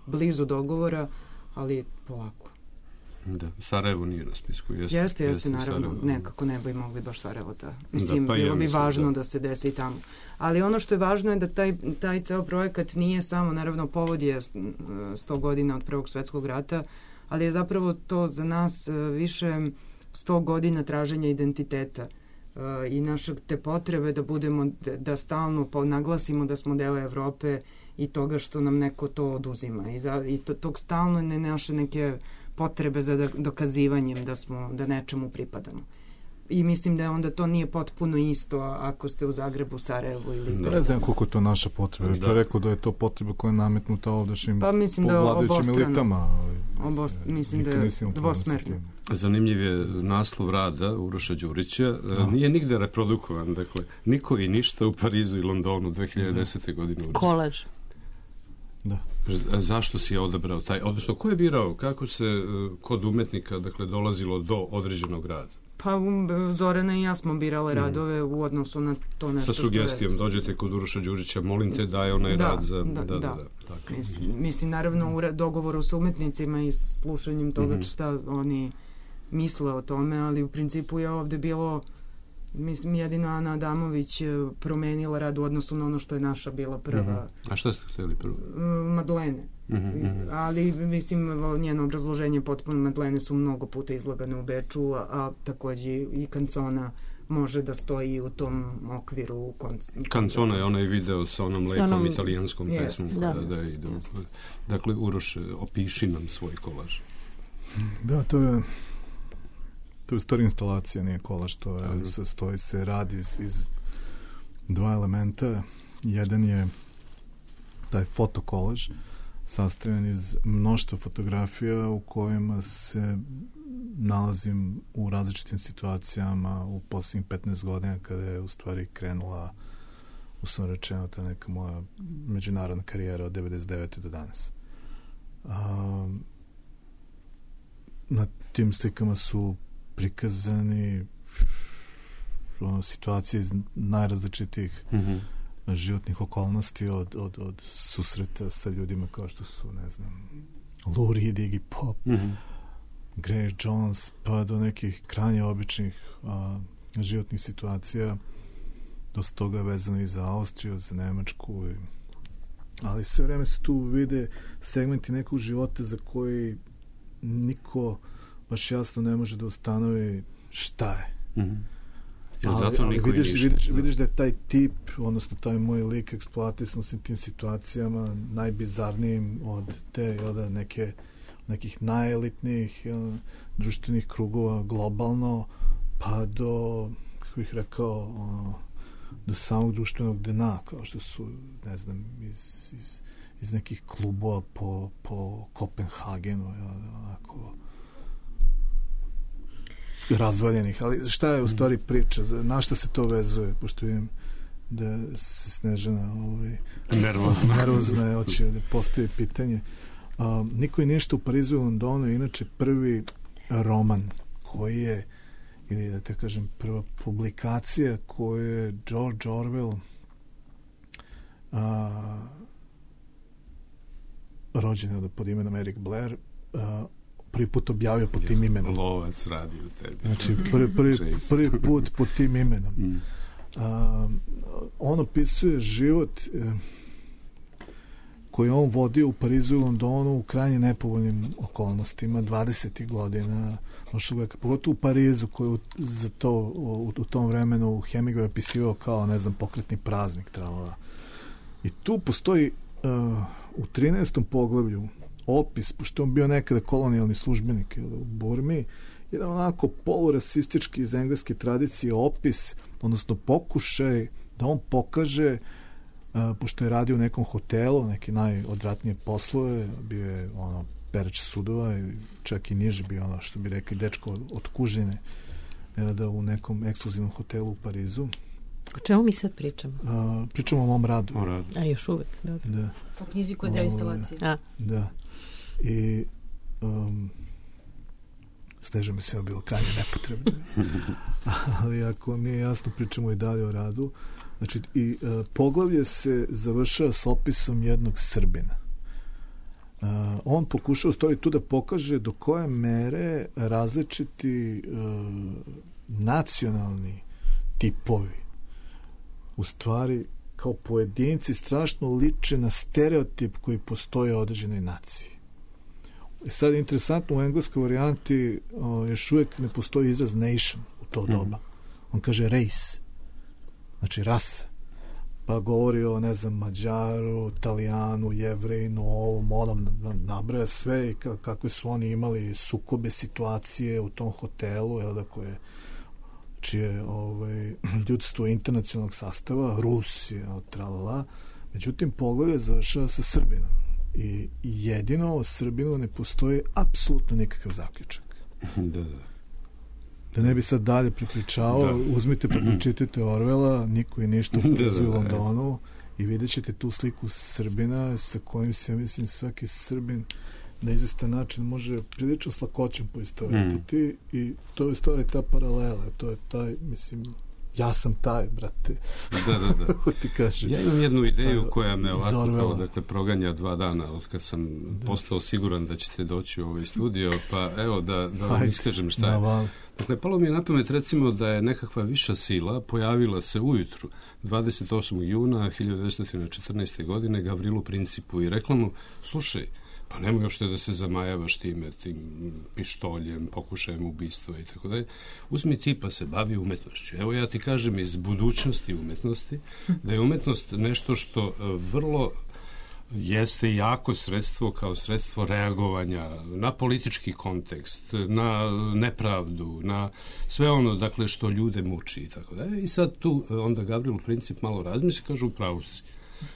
blizu dogovora, ali polako. Da, Sarajevo nije na spisku. Jeste, jeste, jeste naravno. Sarajevo. Nekako ne bi mogli baš Sarajevo da... Mislim, da, pa bilo ja bi mislim, važno da. da se desi i tamo. Ali ono što je važno je da taj, taj ceo projekat nije samo, naravno, povod je sto godina od Prvog svetskog rata, ali je zapravo to za nas više sto godina traženja identiteta uh, i naše te potrebe da budemo, da, da stalno naglasimo da smo deo Evrope i toga što nam neko to oduzima i, za, i to, tog stalno ne naše neke potrebe za dokazivanjem da smo, da nečemu pripadamo. I mislim da onda to nije potpuno isto ako ste u Zagrebu, Sarajevu ili... Da. Ne znam koliko je to naša potreba. Da. Rekao da je to potreba koja je nametnuta ovdašnjim pa, mislim da vladajućim elitama. Ali, Obost, mislim da je dvosmerno. Zanimljiv je naslov rada Uroša Đurića. A. Nije nigde reprodukovan. Dakle, niko i ništa u Parizu i Londonu dve hiljade desete. godine. Kolaž. Da. Zašto si je odabrao taj, odnosno ko je birao, kako se kod umetnika dakle dolazilo do određenog rada? Pa Zorana i ja smo birale radove u odnosu na to nešto sa sugestijom, je... dođete kod Uroša Đurića, molim te daj onaj da, rad za... Da, da, da. da. Tako. Mislim, mislim, naravno u dogovoru sa umetnicima i slušanjem toga šta oni misle o tome, ali u principu je ovde bilo, mislim, jedino Ana Adamović promenila rad u odnosu na ono što je naša bila prva. Mm-hmm. A šta ste htjeli prvo? Madlene. Mm-hmm. Ali, mislim, njeno obrazloženje potpuno Madlene su mnogo puta izlagane u Beču, a, a takođe i kancona može da stoji u tom okviru. Kancona je onaj video sa onom lepom onom... italijanskom yes, pesmom. Da. Da, da ide. Dakle, Uroš, opiši nam svoj kolaž. Da, to je to je stvar instalacija, nije kolaž, to je, sastoji se, radi iz, iz dva elementa. Jedan je taj fotokolaž, sastavljen iz mnoštva fotografija u kojima se nalazim u različitim situacijama u posljednjih petnaest godina kada je u stvari krenula, uslovno rečeno, ta neka moja međunarodna karijera od devedeset devete do danas. A, na tim slikama su prikazani ono, situacije iz najrazličitijih mm-hmm. životnih okolnosti, od, od, od susreta sa ljudima kao što su, ne znam, Lou Reed, Iggy Pop, mm-hmm. Grace Jones, pa do nekih krajnje običnih a, životnih situacija. Dosta toga je vezano i za Austriju, za Nemačku, i, ali sve vreme se tu vide segmenti nekog života za koji niko baš jasno ne može da ustanovi šta je. Mm-hmm. Ali, zato ali niko vidiš, ništa, vidiš, da. vidiš da je taj tip, odnosno taj moj lik eksploatisan s tim situacijama najbizarnijim od te jel da, neke, nekih najelitnijih jel, društvenih krugova globalno, pa do, kako bih rekao, ono, do samog društvenog dna, kao što su, ne znam, iz, iz, iz nekih klubova po, po Kopenhagenu, jel, onako razvaljenih, ali šta je u stvari priča, na šta se to vezuje, pošto vidim da se Snežana ovaj, nervozna nervozna je, hoće da postavi pitanje. A, Niko i ništa u Parizu i Londonu je inače prvi roman koji je, ili da te kažem prva publikacija koju je George Orwell a, rođen je pod imenom Eric Blair a, prvi put objavio pod tim imenom. Lovac radi u tebi. Znači, prvi, prvi, prvi put pod tim imenom. Mm. A, on opisuje život e, koji on vodio u Parizu i Londonu u krajnje nepovoljnim okolnostima, dvadesetih godina, pogotovo u Parizu, koji za to, u, u tom vremenu Hemingway opisivao kao, ne znam, pokretni praznik. Tralala. I tu postoji uh, u trinaestom poglavlju opis, pošto on bio nekada kolonijalni službenik u Burmi, jedan onako polurasistički iz engleske tradicije opis, odnosno pokušaj da on pokaže, uh, pošto je radio u nekom hotelu, neke najodvratnije poslove, bio je ono pereć sudova, čak i niže bio ono što bi rekli dečko od kužine, da u nekom ekskluzivnom hotelu u Parizu. O čemu mi sad pričamo? Uh, pričamo o mom radu. O radu. A još uvek, dobro. Da. O knjizi koja je deo instalacije. A. Da. I um, Sneža mi se bilo krajnje nepotrebno. Ali ako vam nije jasno, pričamo i dalje o radu. Znači, i uh, poglavlje se završava s opisom jednog Srbina. Uh, on pokušao stvari tu da pokaže do koje mere različiti uh, nacionalni tipovi u stvari kao pojedinci strašno liče na stereotip koji postoji u određenoj naciji. E sad je interesantno, u engleskoj varijanti o, još uvijek ne postoji izraz nation u to doba. On kaže race, znači rasa. Pa govori o, ne znam, Mađaru, Italijanu, Jevrejinu, ovom, onom, nabraja sve i kakve su oni imali sukobe situacije u tom hotelu, jel da, koje čije ovaj, ljudstvo internacionalnog sastava, Rusija, tralala. Međutim, poglavlje završava sa Srbinom. I jedino o Srbinu ne postoji apsolutno nikakav zaključak. Da, da. Da ne bi sad dalje pripričavao, da. Uzmite pa pročitajte Orwella, Niko i ništa u Parizu i Londonu, i vidjet ćete tu sliku Srbina sa kojim se, mislim, svaki Srbin na izvestan način može prilično s lakoćem poistovetiti mm. i to je stvari ta paralela, to je taj, mislim, ja sam taj, brate. Da, da, da. Ti kaže, ja imam jednu ideju ta, koja me ovako Orwella. kao, dakle, proganja dva dana od kad sam da. postao siguran da ćete doći u ovaj studio, pa evo da, da vam iskažem šta je. Dakle, palo mi je na pamet, recimo, da je nekakva viša sila pojavila se ujutru dvadeset osmog juna hiljadu devetsto četrnaeste. godine Gavrilu Principu i rekla mu, slušaj, Pa nemoj uopšte da se zamajavaš time, tim pištoljem, pokušajem ubistva i tako dalje. Uzmi ti pa se bavi umetnošću. Evo ja ti kažem iz budućnosti umetnosti da je umetnost nešto što vrlo jeste jako sredstvo kao sredstvo reagovanja na politički kontekst, na nepravdu, na sve ono dakle što ljude muči i tako dalje. I sad tu onda Gavrilo Princip malo razmisli i kaže upravo si.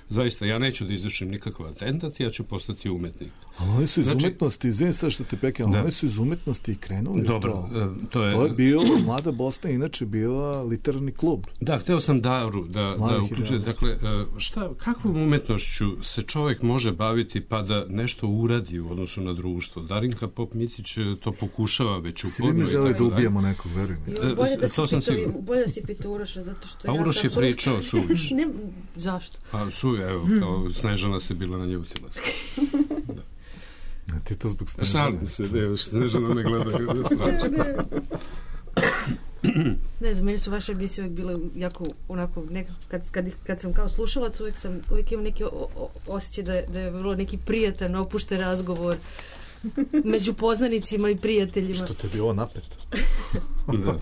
Zaista, ja neću da izvršim nikakav atentat, ja ću postati umetnik. Ali oni su iz znači, umetnosti, izvijem sad što te prekinem, ali oni su iz umetnosti i krenuli. Dobro, to. To je... To je bio, Mlada Bosna inače bila literarni klub. Da, hteo sam Daru da, da uključuje. Dakle, šta, kakvom umetnošću se čovjek može baviti pa da nešto uradi u odnosu na društvo? Darinka Pop-Mitić to pokušava već uporno. Svi mi žele da ubijemo nekog, verujem. Bolje da si pitao, bolje da si pitao Uroša, zato što A ja Uroš je pričao suviš. Ne, zašto? Pa su, evo, kao Snežana se bila naljutila. Da. A ti to zbog Snežana. Šalim se, ne, Snežana me gleda. Ne znam, meni su vaše emisije uvijek bile jako onako, nekako, kad, kad, kad sam kao slušalac, uvijek sam, uvijek imam neki o, o, osjećaj da je, da je vrlo neki prijatan, opušten razgovor među poznanicima i prijateljima. Što te je bilo napeto? Da.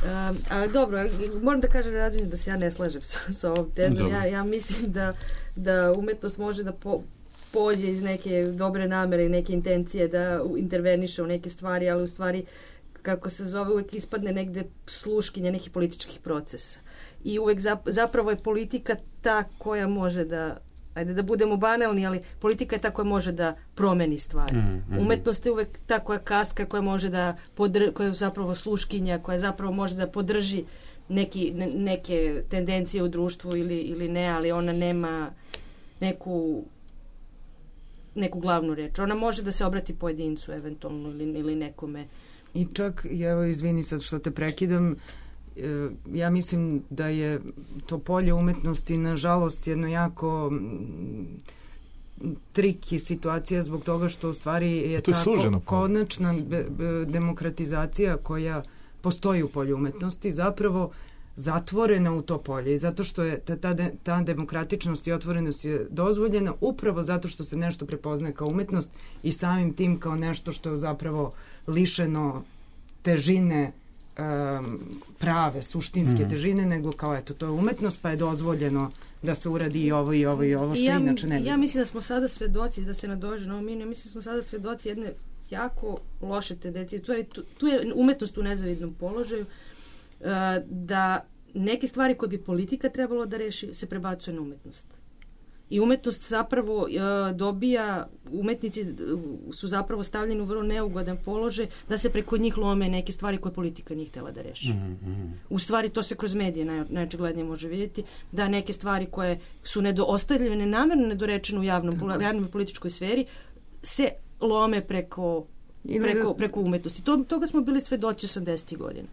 Um, ali dobro, moram da kažem Rađenju da se ja ne slažem sa, sa ovom tezom. Ja, ja mislim da, da umetnost može da po, pođe iz neke dobre namere i neke intencije da interveniše u neke stvari, ali u stvari, kako se zove, uvek ispadne negde sluškinja nekih političkih procesa. I uvek zapravo je politika ta koja može da, ajde da budemo banalni, ali politika je ta koja može da promeni stvari. Mm, mm. Umetnost je uvek ta koja kaska, koja može da podr, koja je zapravo sluškinja, koja zapravo može da podrži neki, ne, neke tendencije u društvu ili, ili ne, ali ona nema neku neku glavnu reč. Ona može da se obrati pojedincu eventualno ili, ili nekome. I čak, evo izvini sad što te prekidam, ja mislim da je to polje umetnosti nažalost jedno jako triki situacija zbog toga što u stvari je to je ta konačna demokratizacija koja postoji u polju umetnosti zapravo zatvorena u to polje i zato što je ta, ta, ta demokratičnost i otvorenost je dozvoljena upravo zato što se nešto prepoznaje kao umetnost i samim tim kao nešto što je zapravo lišeno težine um, prave, suštinske mm. težine, nego kao eto, to je umetnost pa je dozvoljeno da se uradi i ovo i ovo i ovo što ja, inače ne bi. Ja mislim da smo sada svedoci, da se nadože na ovo minu, mislim da smo sada svedoci jedne jako loše tendencije. Tu, tu je umetnost u nezavidnom položaju, uh, da neke stvari koje bi politika trebalo da reši se prebacuje na umetnost. I umetnost zapravo uh, dobija, umetnici su zapravo stavljeni u vrlo neugodan položaj da se preko njih lome neke stvari koje politika nije htjela da reši. Mm-hmm. U stvari to se kroz medije naj, najočiglednije može vidjeti, da neke stvari koje su nedo, ostavljene namjerno nedorečene u javnom, mm-hmm. javnom političkoj sferi se lome preko, preko, preko umetnosti. To, toga smo bili svedoci osamdesetih godina.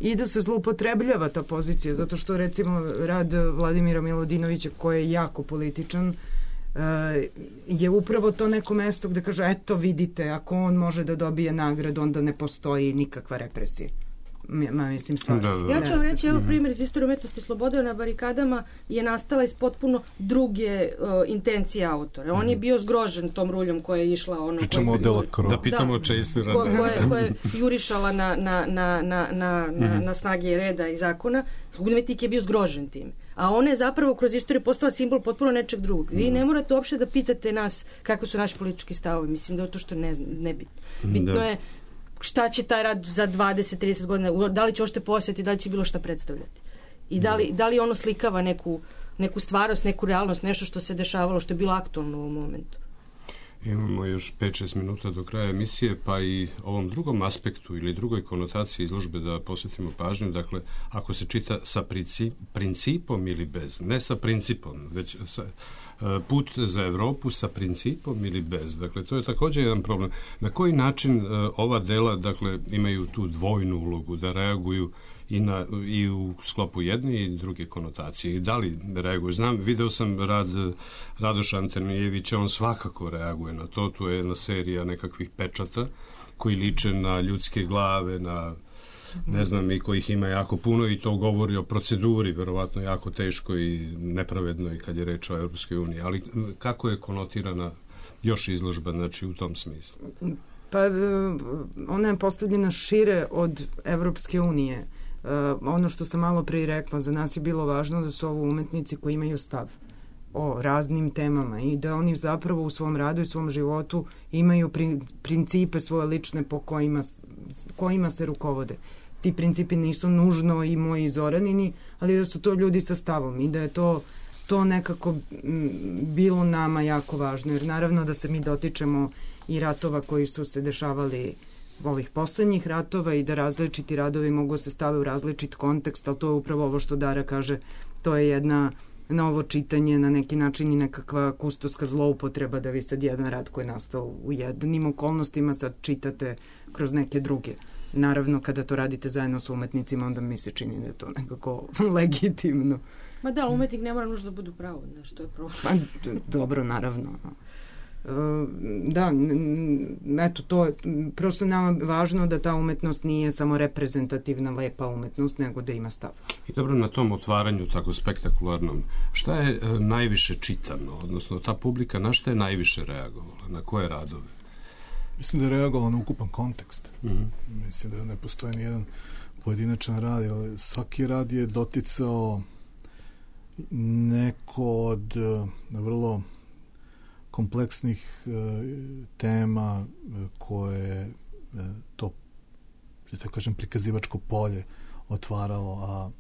I da se zloupotrebljava ta pozicija, zato što recimo rad Vladimira Milodinovića koji je jako političan je upravo to neko mesto gde kaže eto vidite, ako on može da dobije nagradu onda ne postoji nikakva represija. Ma, mislim stvarno. Da, da. Ja ću vam reći, evo primjer iz istorije umetnosti. Sloboda na barikadama je nastala iz potpuno druge uh, intencije autora. On je bio zgrožen tom ruljom koja je išla ono... Pričamo o Delacroix. Da pitamo o Chase ko, koje, koje je jurišala na, na, na, na, na, mm-hmm. na snage reda i zakona. Umetnik je bio zgrožen tim. A ona je zapravo kroz istoriju postala simbol potpuno nečeg drugog. Vi mm-hmm. ne morate uopšte da pitate nas kako su naši politički stavovi. Mislim da je to što ne, ne bitno. Bitno da. je šta će taj rad za dvadeset trideset godina, da li će ošte posjeti, da li će bilo šta predstavljati. I da li, da li ono slikava neku, neku stvarnost, neku realnost, nešto što se dešavalo, što je bilo aktualno u ovom momentu. Imamo još pet šest minuta do kraja emisije, pa i ovom drugom aspektu ili drugoj konotaciji izložbe da posvetimo pažnju. Dakle, ako se čita sa princip, principom ili bez, ne sa principom, već sa put za Evropu sa principom ili bez. Dakle, to je također jedan problem. Na koji način uh, ova dela, dakle, imaju tu dvojnu ulogu, da reaguju i, na, i u sklopu jedne i druge konotacije. I da li reaguju? Znam, video sam rad Radoša Antonijevića, on svakako reaguje na to. Tu je jedna serija nekakvih pečata koji liče na ljudske glave, na ne znam, i kojih ima jako puno i to govori o proceduri, verovatno jako teško i nepravedno i kad je reč o Europskoj uniji. Ali kako je konotirana još izložba, znači u tom smislu? Pa ona je postavljena šire od Evropske unije. Uh, ono što sam malo prije rekla, za nas je bilo važno da su ovo umetnici koji imaju stav o raznim temama i da oni zapravo u svom radu i svom životu imaju pri, principe svoje lične po kojima, kojima se rukovode. Ti principi nisu nužno i moji Zoranini, ali da su to ljudi sa stavom i da je to, to nekako bilo nama jako važno, jer naravno da se mi dotičemo i ratova koji su se dešavali ovih poslednjih ratova i da različiti radovi mogu se stave u različit kontekst, ali to je upravo ovo što Dara kaže, to je jedna novo čitanje, na neki način i nekakva kustoska zloupotreba da vi sad jedan rad koji je nastao u jednim okolnostima sad čitate kroz neke druge. Naravno, kada to radite zajedno s umetnicima, onda mi se čini da je to nekako legitimno. Ma da, umetnik ne mora nužno da budu pravo, znaš, to je problem. Pa, dobro, naravno. Da, eto, to je prosto nama važno da ta umetnost nije samo reprezentativna, lepa umetnost, nego da ima stav. I dobro, na tom otvaranju tako spektakularnom, šta je e, najviše čitano, odnosno ta publika na šta je najviše reagovala, na koje radove? Mislim da je reagovala na ukupan kontekst. Mm-hmm. Mislim da ne postoji ni jedan pojedinačan rad, ali svaki rad je doticao neko od uh, vrlo kompleksnih uh, tema uh, koje uh, to, da tako kažem, prikazivačko polje otvaralo, a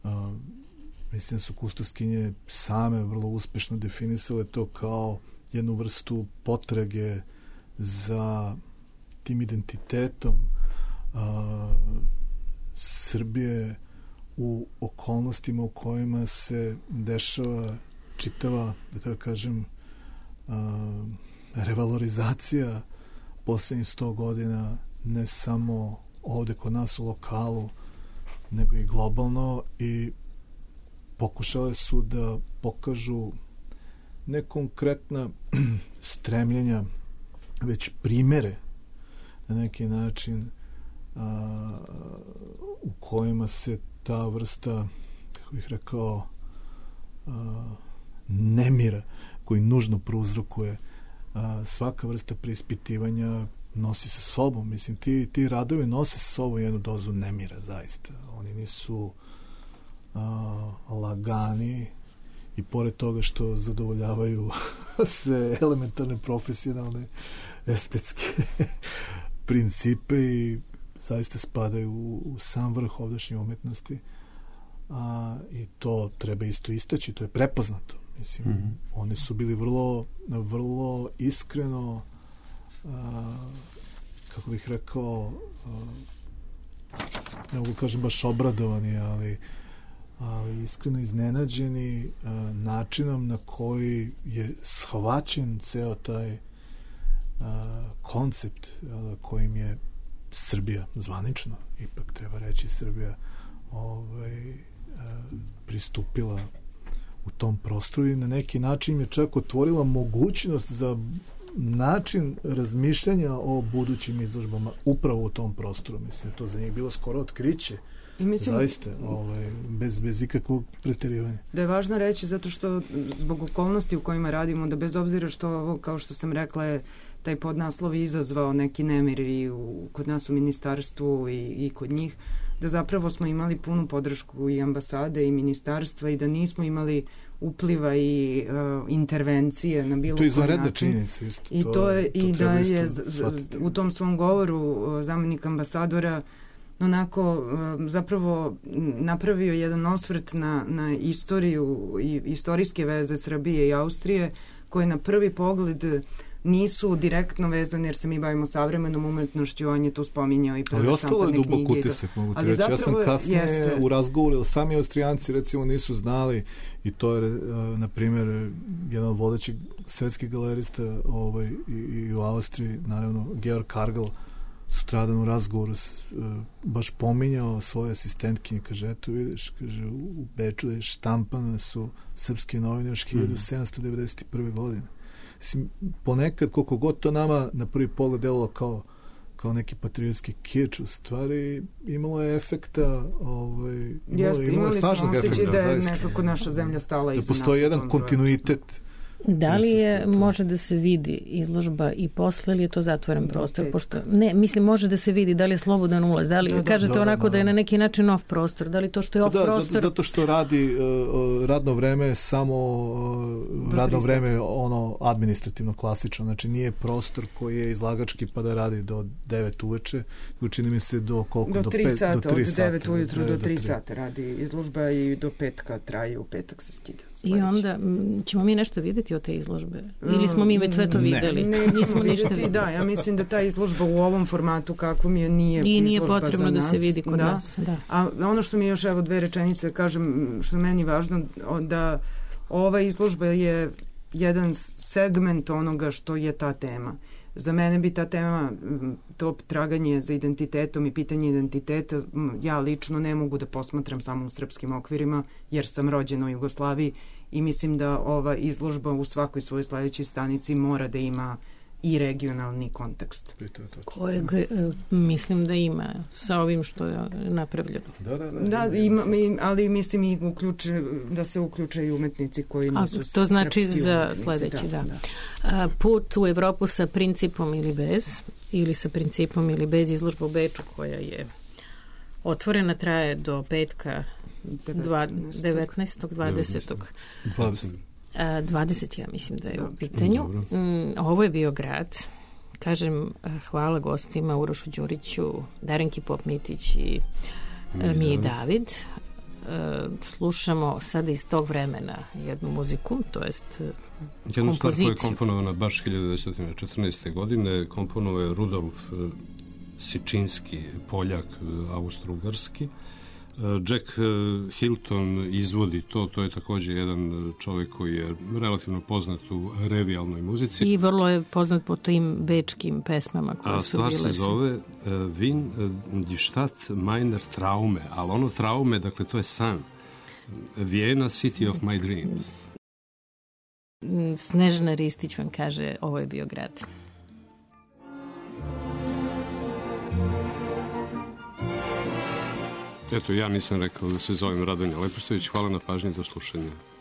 uh, mislim da su kustoskinje same vrlo uspešno definisale to kao jednu vrstu potrage za tim identitetom uh, Srbije u okolnostima u kojima se dešava čitava, da tako kažem, uh, revalorizacija poslednjih sto godina, ne samo ovde kod nas u lokalu, nego i globalno, i pokušale su da pokažu ne konkretna stremljenja, već primere na neki način a, u kojima se ta vrsta, kako bih rekao, a, nemira koji nužno prouzrokuje a, svaka vrsta preispitivanja nosi sa sobom. Mislim, ti, ti radovi nose sa sobom jednu dozu nemira, zaista. Oni nisu a, lagani i pored toga što zadovoljavaju sve elementarne, profesionalne, estetske principe i zaista spadaju u, u sam vrh ovdašnje umetnosti, a, i to treba isto istaći, to je prepoznato. Mislim, mm-hmm. oni su bili vrlo, vrlo iskreno, a, kako bih rekao, a, ne mogu kažem baš obradovani, ali ali iskreno iznenađeni a, načinom na koji je shvaćen ceo taj a, koncept a, kojim je Srbija zvanično, ipak treba reći, Srbija ovaj, a, pristupila u tom prostoru i na neki način je čak otvorila mogućnost za način razmišljanja o budućim izložbama upravo u tom prostoru. Mislim, to za njih bilo skoro otkriće. I mislim, zaista, ovaj, bez, bez ikakvog preterivanja. Da je važno reći, zato što zbog okolnosti u kojima radimo, da bez obzira što ovo, kao što sam rekla, je taj podnaslov izazvao neki nemir i u, kod nas u ministarstvu i, i kod njih, da zapravo smo imali punu podršku i ambasade i ministarstva i da nismo imali upliva i uh, intervencije na bilo koji način. To je izvanredna činjenica isto. I to, to je, to i da je z, z, u tom svom govoru uh, zamenik ambasadora onako zapravo napravio jedan osvrt na, na istoriju i istorijske veze Srbije i Austrije, koje na prvi pogled nisu direktno vezane, jer se mi bavimo savremenom umetnošću, on je tu spominjao i prve šampadne knjige. Ali ostalo je dubok utisak, mogu ti reći. Ja sam kasnije jeste. u razgovoru, sami Austrijanci recimo nisu znali, i to je, na primjer, jedan od vodećih svetskih galerista ovaj, i, i u Austriji, naravno, Georg Kargl, sutradan u razgovoru s, uh, baš pominjao svoje asistentkinje, kaže, eto vidiš, kaže, u Beču je štampane su srpske novine još hiljadu sedamsto devedeset prve godine. Mislim, ponekad, koliko god to nama na prvi pogled delovalo kao, kao neki patriotski kič, u stvari imalo je efekta, ovaj, imalo, Jeste, imalo je snažnog efekta. Jeste, imali smo osjećaj da je nekako naša zemlja stala da iza nas. Da postoji jedan kontinuitet Da li je, može da se vidi izložba i posle ili je to zatvoren prostor? Pošto, ne, mislim, može da se vidi da li je slobodan ulaz, da li, da, kažete da, onako da, da, da je na neki način off prostor, da li to što je off da, prostor? Da, zato što radi uh, radno vreme samo uh, radno vreme ono administrativno klasično, znači nije prostor koji je izlagački pa da radi do devet uveče, učini mi se do koliko? Do, do tri pet, sata, do tri od devet sata, ujutru do, do tri do sata radi izložba i do petka traje, u petak se skida. Sledeći. I onda m, ćemo mi nešto vidjeti od te izložbe? Ili smo mi već sve to videli? Ne, ne nismo vidjeti, da, ja mislim da ta izložba u ovom formatu kakvom je nije I nije izložba potrebno za nas. Da se vidi kod da. nas. Da. A ono što mi je još, evo dve rečenice kažem, što je meni važno, da ova izložba je jedan segment onoga što je ta tema. Za mene bi ta tema, to traganje za identitetom i pitanje identiteta, ja lično ne mogu da posmatram samo u srpskim okvirima, jer sam rođena u Jugoslaviji i mislim da ova izložba u svakoj svojoj sledećoj stanici mora da ima i regionalni kontekst. Kojeg mislim da ima sa ovim što je napravljeno. Da, da, da. Da, ima, ali mislim i uključe, da se uključe i umetnici koji nisu A, to znači srpski za umetnici. sledeći, da. da. A, put u Evropu sa principom ili bez, ili sa principom ili bez, izložba u Beču koja je otvorena, traje do petka devetnaestog dvadesetog dvadeset ja mislim da je u pitanju. Mm, ovo je bio grad. Kažem, hvala gostima Urošu Đuriću, Darenki Pop-Mitić i Miji David. E, slušamo sada iz tog vremena jednu muziku, to jest kompoziciju. Jednu stvar koja je komponovana baš hiljadu devetsto četrnaeste. godine, komponovao je Rudolf Sičinski, Poljak, Austro-Ugarski. Jack Hilton izvodi to, to je također jedan čovjek koji je relativno poznat u revijalnoj muzici. I vrlo je poznat po tim bečkim pesmama koje a su bile. A stvar se zove uh, Wien die Stadt meiner Traume, ali ono traume, dakle to je san. Vienna, City of my dreams. Snežana Ristić vam kaže, ovo je bio grad. Eto, ja nisam rekao da se zovem Radonja Lepošević. Hvala na pažnji, do slušanja.